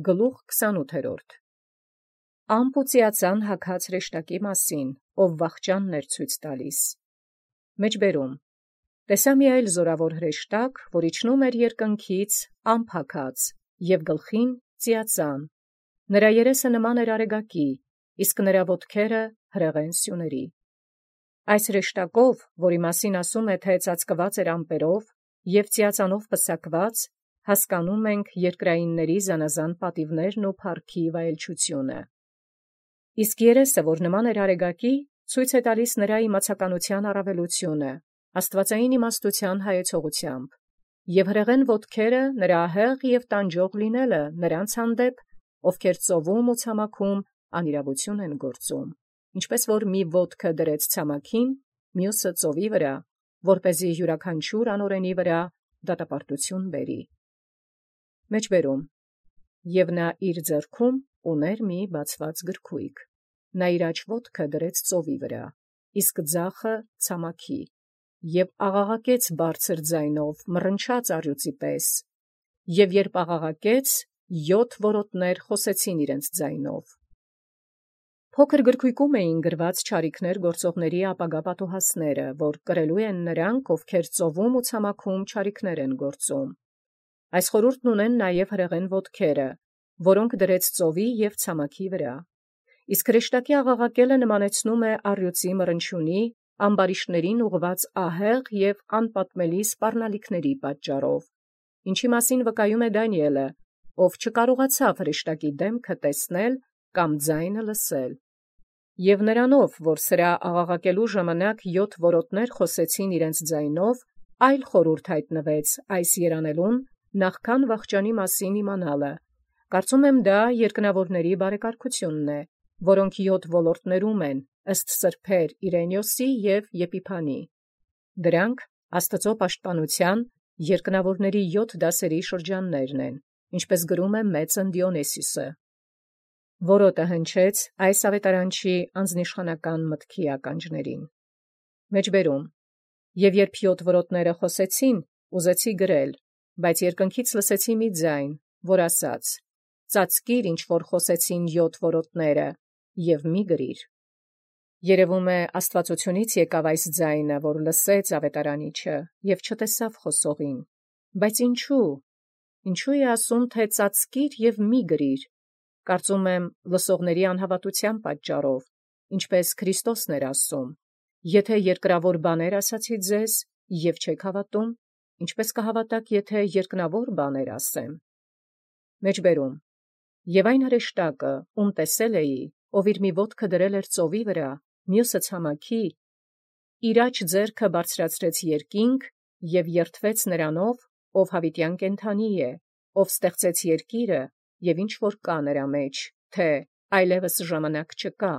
Գլուխ 28 Ամպուծիածան հագած հրեշտակի մասին, ով վախճանն ցույց տալիս։ Մեջբերում տեսա մի այլ զորավոր հրեշտակ, որ իջնում էր երկնքից ամփակած և գլխին ծիածան. նրա երեսը նման էր արեգակի, իսկ նրա ոտքերը հրեղեն սյուների։ Այս հրեշտակով, որի մասին ասում է, թե ծածկված էր ամպերով և ծիածանով պսակված, հասկանում ենք երկրայինների զանազան պատիվներն ու փառքի վայելչությունը։ Իսկ երեսը, որ նման էր արեգակի, ցույց է տալիս նրա իմացականության առավելությունը, աստվածային իմաստության հայեցողությամբ, և հրեղեն ոտքերը նրա ահեղ և տանջող լինելը նրանց հանդեպ, ովքեր ծովում ու ցամաքում անիրավություն են գործում, ինչպես որ մի ոտքը դրեց ցամաքին, մյուսը ծովի վրա, որպեսզի յուրաքանչյուր անօրենի վրա դատապարտություն բերի։ Մեջբերում և նա իր ձեռքում ուներ մի բացված գրքույկ, նա իր աջ ոտքը դրեց ծովի վրա, իսկ ձախը ցամաքի, և աղաղակեց բարձր ձայնով, մռնչաց առյուծի պես, և երբ աղաղակեց, 7 որոտներ խոսեցին իրենց ձայնով։ Փոքր գրքույկում էին գրված չարիքներ գործողների ապագա պատուհասները, որ կրելու են նրանք, ովքեր ծովում ու ցամաքում չարիքներ են գործում։ Այս խորհուրդն ունեն նաև հրեղեն ոտքերը, որոնք դրեց ծովի և ցամաքի վրա։ Իսկ հրեշտակի աղաղակելը նմանեցնում է առյուծի մռնչյունի, ամբարիշտներին ուղղված ահեղ և անպատմելի սպառնալիքների պատճառով, ինչի մասին վկայում է Դանիէլը, ով չկարողացավ հրեշտակի դեմքը տեսնել կամ ձայնը լսել։ Եվ նրանով, որ սրա աղաղակելու ժամանակ 7 որոտներ խոսեցին իրենց ձայնով, այլ խորհուրդ հայտնվեց այս երանելուն նախքան վախճանի մասին իմանալը։ Կարծում եմ դա երկնավորների բարեկարգությունն է, որոնք 7 ոլորտներում են, ըստ սրբեր Իրենիոսի և Եփիփանի։ Դրանք Աստծո պաշտպանության երկնավորների 7 դասերի շրջաններն են, ինչպես գրում է Մեծն Դիոնիսիոսը։ Որոտը հնչեց այս ավետարանչի անձնիշխանական մտքի ականջներին։ Մեջբերում և երբ 7 որոտները խոսեցին, ուզեցի գրել, բայց երկնքից լսեցի մի ձայն, որ ասաց. «Ծածկիր, ինչ որ խոսեցին 7 որոտները, և մի գրիր»։ Երևում է աստվածությունից եկավ այս ձայնը, որ լսեց ավետարանիչը և չտեսավ խոսողին։ Բայց ինչու է ասում, թե ծածկիր և մի գրիր։ Կարծում եմ լսողների անհավատության պատճառով, ինչպես Քրիստոսն էր ասում. «Եթե երկրավոր բաներ ասացի ձեզ, և չեք հավատում, ինչպես կհավատաք, եթե երկնավոր բաներ ասեմ»։ Մեջբերում և այն հրեշտակը, ում տեսել էի, ով իր մի ոտքը դրել էր ծովի վրա, մյուսը ցամաքի, իր աջ ձեռքը բարձրացրեց երկինք և երդվեց նրանով, ով հավիտյան կենդանի է, ով ստեղծեց երկիրը և ինչ որ կա նրա մեջ, թե այլևս ժամանակ չկա։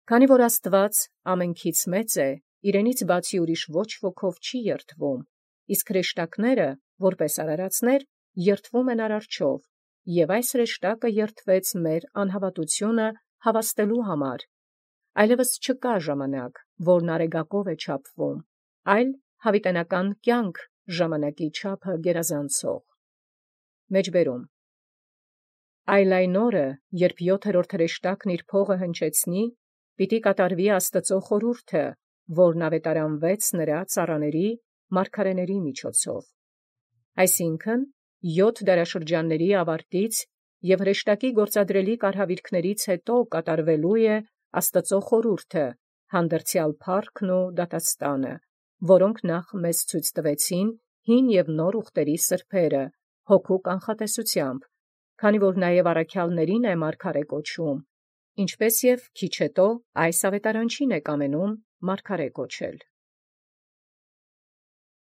Քանի որ Աստված ամենքից մեծ է, իրենից բացի ուրիշ ոչ ոքով չի երդվում, իսկ հրեշտակները, որպես արարածներ, երդվում են Արարչով, և այս հրեշտակը երդվեց մեր անհավատությունը հավաստելու համար։ Այլևս չկա ժամանակ, որն արեգակով է չափվում, այլ հավիտենական կյանք ժամանակի չափը գերազանցող։ Մեջբերում այլ այն օրը, երբ 7-րդ հրեշտակն իր փողը հնչեցնի, պիտի կատարվի Աստծո խորհուրդը, որն ավետարանվեց նրա ծառաների, մարգարեների միջոցով։ Այսինքն 7 դարաշրջանների ավարտից և հրեշտակի գործադրելի կարգավիճքներից հետո կատարվելու է Աստծո խորհուրդը, հանդերձյալ փառքն ու դատաստանը, որոնք նախ մեզ ցույց տվեցին հին և նոր ուխտերի սրբերը, հոգու կանխատեսությամբ, քանի որ նաև առաքյալներին է մարգարե կոչում, ինչպես և քիչ հետո այս ավետարանչին է կամենում մարգարե կոչել։